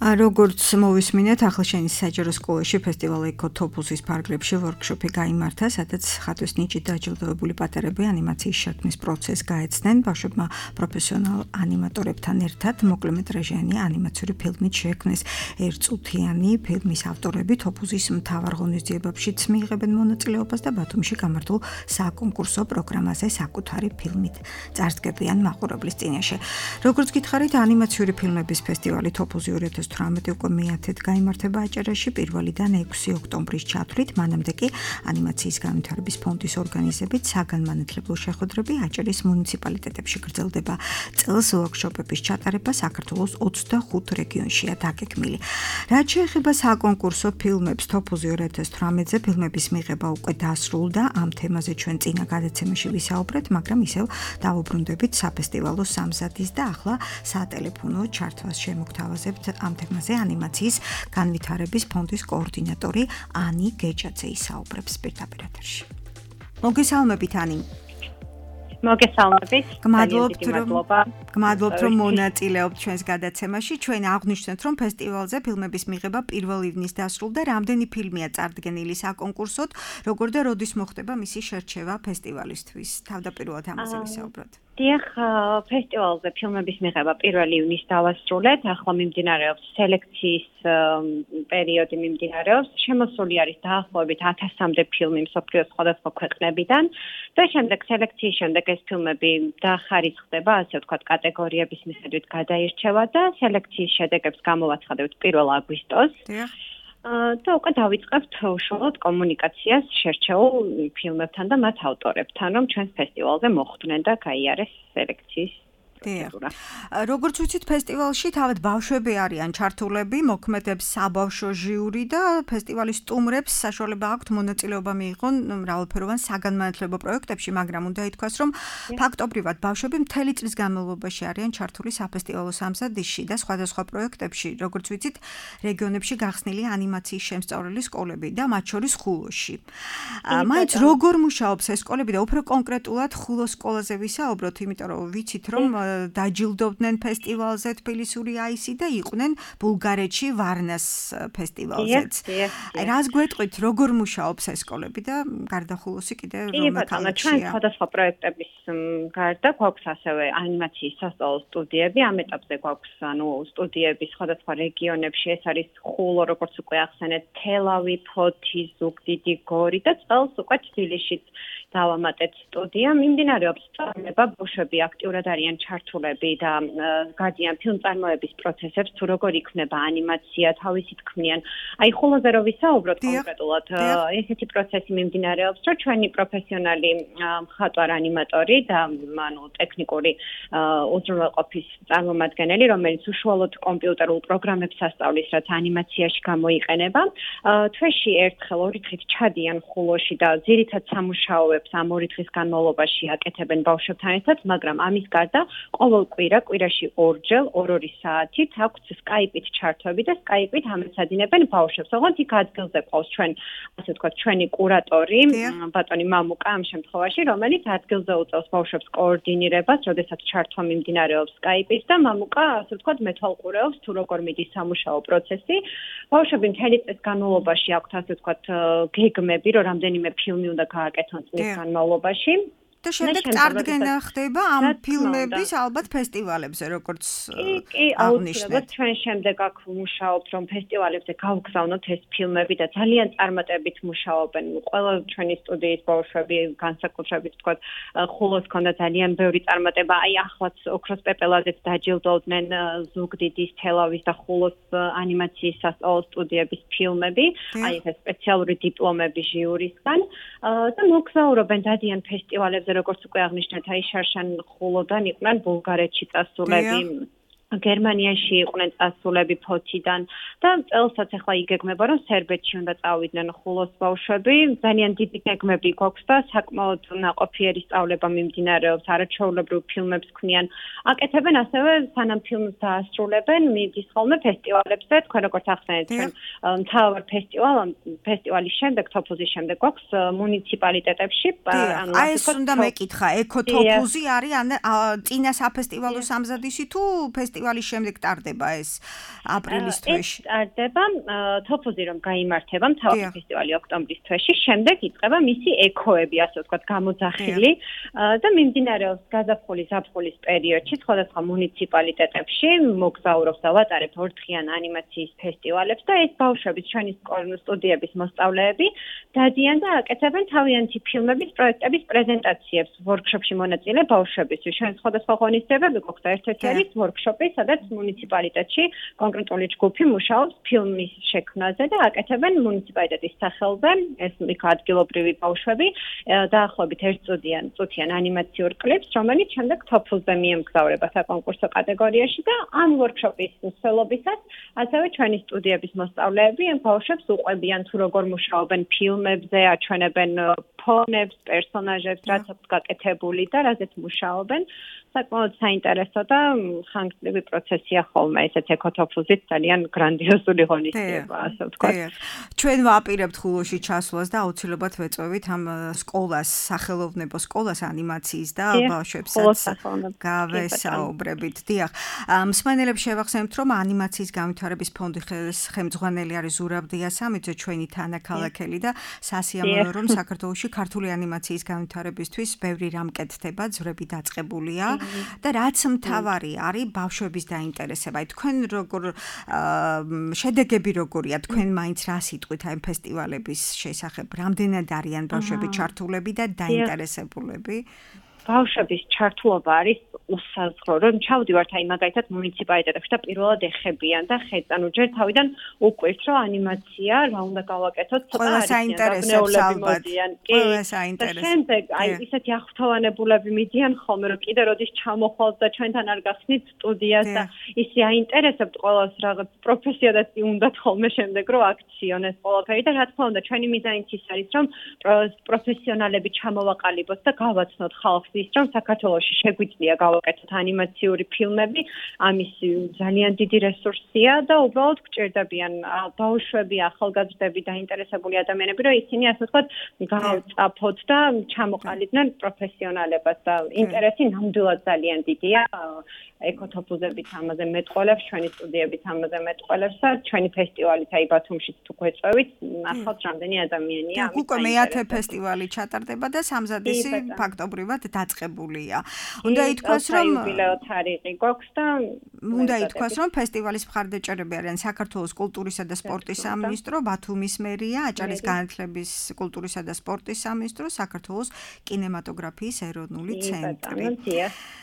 როგორც მოვისმინეთ, ახალშენის საჯარო სკოლაში ფესტივალ ეკოთოპუსის პარკლებში ვორქშოპი გაიმართა, სადაც ხატვის ნიჭით დაჯილდოებული პატარები ანიმაციის შექმნის პროცესს გაეცნენ. ბავშვებმა პროფესიონალ ანიმატორებთან ერთად მოკლემეტრაჟიანი ანიმაციური ფილმით შექმნეს. ერთწუთიანი ფილმის ავტორები თოპუსის მთავარ ღონისძიებებშიც მიიღებენ მონაწილეობას და ბათუმში გამართულ საკონკურსო პროგრამაზე საკუთარი ფილმით წარსდგებიან მაყურებლის წინაშე. როგორც გითხარით, ანიმაციური ფილმების ფესტივალი თოპუსი ორი ათას თვრამეტი უკვე მეათედ გაიმართება აჭარაში პირველიდან ექვსი ოქტომბრის ჩათვლით, მანამდე კი ანიმაციის განვითარების ფონდის ორგანიზებით საგანმანათლებლო შეხვედრები აჭარის მუნიციპალიტეტებში გრძელდება. წელს ვორქშოპების ჩატარება საქართველოს ოცდახუთ რეგიონშია დაგეგმილი. რაც შეეხება საკონკურსო ფილმებს, თოპუზი ორი ათას თვრამეტზე ფილმების მიღება უკვე დასრულდა. ამ თემაზე ჩვენ წინა გადაცემაში ვისაუბრეთ, მაგრამ ისევ დავუბრუნდებით საფესტივალო სამზადის და ახლა სატელეფონო ჩართვას შემოგთავაზებთ ამ თემაზე ანიმაციის განვითარების ფონდის კოორდინატორი ანი გეჭაძე ისაუბრებს პირდაპირ ეთერში. მოგესალმებით ანი. მოგესალმებით. გმადლობთ რომ გმადლობთ რომ მონაწილეობთ ჩვენს გადაცემაში. ჩვენ აღვნიშნეთ რომ ფესტივალზე ფილმების მიღება პირველ ივნის დასრულდა. რამდენი ფილმია წარდგენილი საკონკურსოდ, როგორ და როდის მოხდება მისი შერჩევა ფესტივალისთვის? თავდაპირველად ამაზე ვისაუბროთ. დიახ, ფესტივალზე ფილმების მიღება პირველ ივნის დავასრულეთ. ახლა მიმდინარეობს სელექციის პერიოდი მიმდინარეობს. შემოსული არის დაახლოებით ათასამდე ფილმი მსოფლიოს სხვადასხვა ქვეყნებიდან და შემდეგ სელექციის შემდეგ ეს ფილმები დახარისხდება, ასე ვთქვათ, კატეგორიების მიხედვით გადაირჩევა და სელექციის შედეგებს გამოვაცხადებთ პირველ აგვისტოს. დიახ. და უკვე დავიწყებთ უშუალოდ კომუნიკაციას შერჩეულ ფილმებთან და მათ ავტორებთან, რომ ჩვენს ფესტივალზე მოხვდნენ და გაიარეს სელექციის პროცედურა. როგორც ვიცით, ფესტივალში თავად ბავშვები არიან ჩართულები, მოქმედებს საბავშვო ჟიური და ფესტივალის სტუმრებს საშუალება აქვთ მონაწილეობა მიიღონ მრავალფეროვან საგანმანათლებლო პროექტებში, მაგრამ უნდა ითქვას, რომ ფაქტობრივად ბავშვები მთელი წლის განმავლობაში არიან ჩართული საფესტივალო სამზადისში და სხვადასხვა პროექტებში, როგორც ვიცით, რეგიონებში გახსნილია ანიმაციის შემსწავლელი სკოლები და მათ შორის ხულოში. მაინც როგორ მუშაობს ეს სკოლები და უფრო კონკრეტულად ხულოს სკოლაზე ვისაუბროთ, იმიტომ რომ ვიცით, რომ დაჯილდოვდნენ ფესტივალზე თბილისური აისი და იყვნენ ბულგარეთში ვარნას ფესტივალზეც. რას გვეტყვით, როგორ მუშაობს ეს სკოლები და გარდა ხულოსი კიდე რომ მეთანა ჩვენ სხვადასხვა პროექტების გარდა გვაქვს ასევე ანიმაციის სასწავლო სტუდიები. ამ ეტაპზე გვაქვს ანუ სტუდიები სხვადასხვა რეგიონებში. ეს არის ხულო, როგორც უკვე ახსენეთ, თელავი, ფოთი, ზუგდიდი, გორი და წელს უკვე თბილისშიც დავამატეთ სტუდია. მიმდინარეობს სწავლება, ბავშვები აქტიურად არიან ჩართულები და გადიან ფილმწარმოების პროცესებს, თუ როგორ იქმნება ანიმაცია, თავისით ქმნიან. აი ხულოზე რო ვისაუბროთ კონკრეტულად, ესეთი პროცესი მიმდინარეობს, რომ ჩვენი პროფესიონალი მხატვარ ანიმატორი და ანუ ტექნიკური უზრუნველყოფის წარმომადგენელი, რომელიც უშუალოდ კომპიუტერულ პროგრამებს ასწავლის, რაც ანიმაციაში გამოიყენება, თვეში ერთხელ ორი დღით ჩადიან ხულოში და ძირითად სამუშაოებს ამ ორი დღის განმავლობაში აკეთებენ ბავშვებთან ერთად, მაგრამ ამის გარდა ყოველ კვირა, კვირაში ორჯერ, ორ-ორი საათით აქვთ სკაიპით ჩართვები და სკაიპით ამეცადინებენ ბავშვებს. ოღონდ იქ ადგილზე ყავს ჩვენ, ასე ვთქვათ, ჩვენი კურატორი, ბატონი მამუკა ამ შემთხვევაში, რომელიც ადგილზე უწევს ბავშვებს კოორდინირებას, როდესაც ჩართვა მიმდინარეობს სკაიპით და მამუკა, ასე ვთქვათ, მეთვალყურეობს, თუ როგორ მიდის სამუშაო პროცესი. ბავშვები მთელი წლის განმავლობაში აქვთ, ასე ვთქვათ, გეგმები, რომ რამდენიმე ფილმი უნდა გააკეთონ წლის განმავლობაში. და შემდეგ წარდგენა ხდება ამ ფილმების ალბათ ფესტივალებზე, როგორც კი, აუცილებლად ჩვენ შემდეგ აქ ვმუშაობთ, რომ ფესტივალებზე გავგზავნოთ ეს ფილმები და ძალიან წარმატებით მუშაობენ. ყველა ჩვენი სტუდიის ბავშვები, განსაკუთრებით თქვა, ხულოს ქონდა ძალიან ბევრი წარმატება. აი ახლაც ოქროს პეპელაძეც დაჯილდოვდნენ ზუგდიდის, თელავის და ხულოს ანიმაციის სასწავლო სტუდიების ფილმები. აი ეს სპეციალური დიპლომები ჟიურისგან და მოგზაურობენ დადიან ფესტივალებზე, როგორც უკვე აღნიშნეთ, აი შარშან ხულოდან იყვნენ ბულგარეთში წასულები. გერმანიაში იყვნენ წასულები ფოთიდან და წელსაც ახლა იგეგმება რომ სერბეთში უნდა წავიდნენ ხულოს ბავშვები. ძალიან დიდი გეგმები გვაქვს და საკმაოდ ნაყოფიერი სწავლება მიმდინარეობს, არაჩვეულებრივ ფილმებს ქმნიან. აკეთებენ ასევე სანამ ფილმს დაასრულებენ, მიდის ხოლმე ფესტივალებზე, თქვენ როგორც ახსენეთ, ჩვენ მთავარ ფესტივალ ფესტივალის შემდეგ, თოფუზის შემდეგ გვაქვს მუნიციპალიტეტებში, ანუ აი ეს უნდა მეკითხა, ეკოთოფუზი არის ან წინა საფესტივალო სამზადისი თუ ფესტივალის შემდეგ ტარდება ეს აპრილის თვეში? ტარდება თოფუზი რომ გაიმართება მთავარი ფესტივალი ოქტომბრის თვეში, შემდეგ იწყება მისი ეკოები, ასე ვთქვათ, გამოძახილი და მიმდინარეობს გაზაფხულის ზაფხულის პერიოდში სხვადასხვა მუნიციპალიტეტებში მოგზაურობს და ვატარებ ორდღიან ანიმაციის ფესტივალებს და ეს ბავშვების ჩვენი სტუდიების მოსწავლეები დადიან და აკეთებენ თავიანთი ფილმების პროექტების პრეზენტაციებს ვორქშოპში მონაწილე ბავშვებისთვის. ჩვენ სხვადასხვა ღონისძიებები გვაქვს და ერთ-ერთი არის ვორქშოპი, სადაც მუნიციპალიტეტში კონკრეტული ჯგუფი მუშაობს ფილმის შექმნაზე და აკეთებენ მუნიციპალიტეტის სახელზე ეს ადგილობრივი ბავშვები დაახლოებით ერთწუთიან წუთიან ანიმაციურ კლიპს, რომელიც შემდეგ თოფუზზე მიემგზავრება საკონკურსო კატეგორიაში და ამ ვორქშოპის მსვლელობისას ასევე ჩვენი სტუდიების მოსწავლეები ამ ბავშვებს უყვებიან თუ როგორ მუშაობენ ფილმებზე, აჩვენებენ ფონებს, პერსონაჟებს, რაც აქვს გაკეთებული და რაზეც მუშაობენ. საკმაოდ საინტერესო და ხანგრძლივი პროცესია ხოლმე ესეც ეკოთოფუზით ძალიან გრანდიოზული ღონისძიება, ასე ვთქვათ. ჩვენ ვაპირებთ ხულოში ჩასვლას და აუცილებლად ვეწვევით ამ სკოლას, სახელოვნებო სკოლას ანიმაციის და ბავშვებსაც გავესაუბრებით. დიახ. მსმენელებს შევახსენებთ, რომ ანიმაციის განვითარების ფონდი ხელმძღვანელი არის ზურაბ დიასამიძე, ჩვენი თანაქალაქელი და სასიამოვნოა, რომ საქართველოში ქართული ანიმაციის განვითარებისთვის ბევრი რამ კეთდება, ძვრები დაწყებულია. და რაც მთავარი არის ბავშვების დაინტერესება. თქვენ როგორ შედეგები როგორია? თქვენ მაინც რა სიტყვით აი ფესტივალების შესახებ? რამდენად არიან ბავშვები ჩართულები და დაინტერესებულები? ბავშვების ჩართულობა არის უსაზღვრო, რომ ჩავდივართ აი მაგალითად მუნიციპალიტეტებში და პირველად ეხებიან და ხედან უჯერ თავიდან უკვირთ, რომ ანიმაცია რა უნდა გავაკეთოთ, ცოტა არის საინტერესებს ალბათ. ყველა საინტერესო. შემდეგ აი ისეთი აღფრთოვანებულები მიდიან ხოლმე, რომ კიდე როდის ჩამოხვალთ და ჩვენთან არ გახსნით სტუდიას და ისე აინტერესებთ ყველას რაღაც პროფესიადაც უნდათ ხოლმე შემდეგ რომ აქციონეს ყველაფერი და რა თქმა უნდა ჩვენი მიზანიც ის არის, რომ პროფესიონალები ჩამოვაყალიბოთ და გავაცნოთ ხალხს ის რომ საქართველოში შეგვიძლია გავაკეთოთ ანიმაციური ფილმები, ამის ძალიან დიდი რესურსია და უბრალოდ გჭირდებიან ბავშვები, ახალგაზრდები, დაინტერესებული ადამიანები, რომ ისინი ასე ვთქვათ, გავწაფოთ და ჩამოყალიბდნენ პროფესიონალებას და ინტერესი ნამდვილად ძალიან დიდია. ეკოთოფუზებით ამაზე მეტყოლებს, ჩვენი სტუდიებით ამაზე მეტყოლებს და ჩვენი ფესტივალით აი ბათუმშიც თუ გვეწევით, ნახავთ რამდენი ადამიანია ამით. უკვე მეათე ფესტივალი ჩატარდება და სამზადისი ფაქტობრივად დაწყებულია. უნდა ითქვას, რომ იუბილეო თარიღი გვაქვს და უნდა ითქვას, რომ ფესტივალის მხარდაჭერები არიან საქართველოს კულტურისა და სპორტის სამინისტრო, ბათუმის მერია, აჭარის განათლების, კულტურისა და სპორტის სამინისტრო, საქართველოს კინემატოგრაფიის ეროვნული ცენტრი.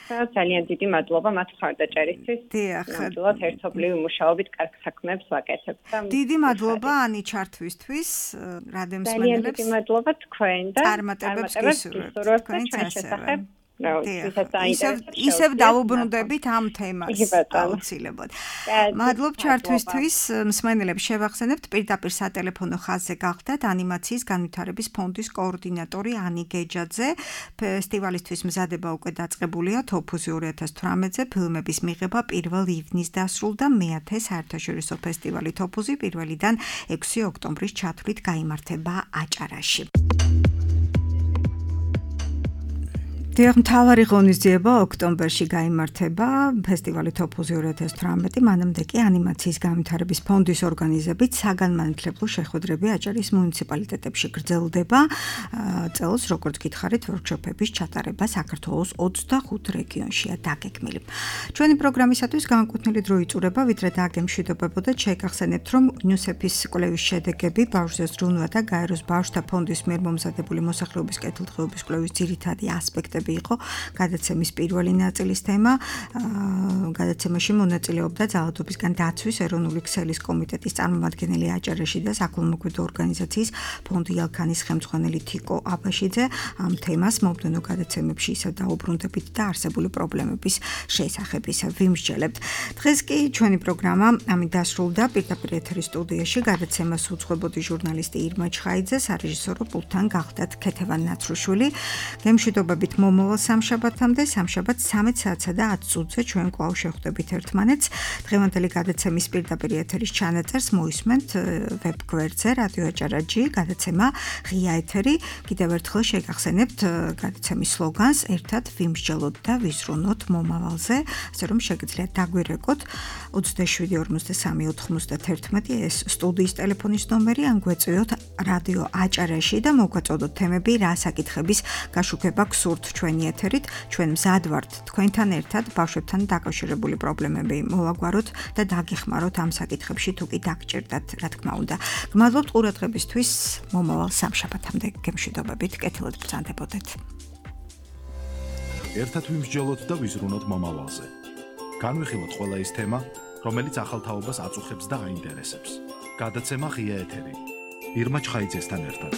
ძალიან დიდი მადლობა მათ მხარდაჭერისთვის. ნამდვილად ერთობლივი მუშაობით კარგ საქმეებს ვაკეთებთ. დიდი მადლობა ანი ჩართვისთვის, რადემს მენელებს. ძალიან დიდი მადლობა თქვენ და წარმატებებს გისურვებთ თქვენ შესახებ. ისევ ისევ დავუბრუნდებით ამ თემას აუცილებლად. მადლობ ჩართვისთვის, მსმენელებს შევახსენებთ პირდაპირ სატელეფონო ხაზზე გახდათ ანიმაციის განვითარების ფონდის კოორდინატორი ანი გეჯაძე. ფესტივალისთვის მზადება უკვე დაწყებულია თოფუზი ორი ათას თვრამეტზე, ფილმების მიღება პირველი ივნის დასრულდა, მეათე საერთაშორისო ფესტივალი თოფუზი პირველიდან ექვსი ოქტომბრის ჩათვლით გაიმართება აჭარაში. დიახ, მთავარი ღონისძიება ოქტომბერში გაიმართება ფესტივალი თოფუზი ორი ათას თვრამეტი, მანამდე კი ანიმაციის განვითარების ფონდის ორგანიზებით საგანმანათლებლო შეხვედრები აჭარის მუნიციპალიტეტებში გრძელდება. წელს, როგორც გითხარით, ვორქშოპების ჩატარება საქართველოს ოცდახუთ რეგიონშია დაგეგმილი. ჩვენი პროგრამისათვის განკუთვნილი დრო იწურება, ვიდრე დაგემშვიდობებოდეთ, შეგახსენებთ, რომ იუნისეფის კვლევის შედეგები ბავშვზე ზრუნვა და გაეროს ბავშვთა ფონდის მიერ მომზადებული მოსახლეობის კეთილდღეობის კვლევის ძირითადი ასპექტები იყო გადაცემის პირველი ნაწილის თემა. გადაცემაში მონაწილეობდა ძალადობისგან დაცვის ეროვნული ქსელის კომიტეტის წარმომადგენელი აჭარაში და საქველმოქმედო ორგანიზაციის ფონდი ალქანის ხელმძღვანელი თიკო აბაშიძე. ამ თემას მომდევნო გადაცემებში ისევ დაუბრუნდებით და არსებული პრობლემების შესახებ ისევ ვიმსჯელებთ. დღეს კი ჩვენი პროგრამა ამით დასრულდა. პირდაპირ ეთერის სტუდიაში გადაცემას უძღვებოდი ჟურნალისტი ირმა ჩხაიძე, სარეჟისორო პულტთან გახდათ ქეთევან ნაცრუშვილი. გემშვიდობებით მომავალ სამშაბათამდე, სამშაბათს ცამეტ საათსა და ათ წუთზე ჩვენ კვლავ შევხვდებით ერთმანეთს. დღევანდელი გადაცემის პირდაპირ ეთერის ჩანაწერს მოისმენთ ვებ გვერდზე რადიო აჭარა.ჯი, გადაცემა ღია ეთერი. კიდევ ერთხელ შეგახსენებთ გადაცემის სლოგანს ერთად ვიმსჯელოთ და ვიზრუნოთ მომავალზე, ასე რომ შეგიძლიათ დაგვირეკოთ ოცდაშვიდი ორმოცდასამი ოთხმოცდაათერთმეტი ეს სტუდიის ტელეფონის ნომერი, ან გვეწვიოთ რადიო აჭარაში და მოგაწოდოთ თემები, რა საკითხების გაშუქება გსურთ ჩვენი ეთერით. ჩვენ მზად ვართ თქვენთან ერთად ბავშვებთან დაკავშირებული პრობლემები მოვაგვაროთ და დაგეხმაროთ ამ საკითხებში თუ კი დაგჭირდათ, რა თქმა უნდა. გმადლობთ ყურადღებისთვის. მომავალ სამშაბათამდე გემშვიდობებით, კეთილად ბრძანდებოდეთ. ერთად ვიმსჯელოთ და ვიზრუნოთ მომავალზე. განვიხილოთ ყველა ის თემა, რომელიც ახალ თაობას აწუხებს და აინტერესებს. გადაცემა ღია ეთერი. ირმა ჩხაიძესთან ერთად.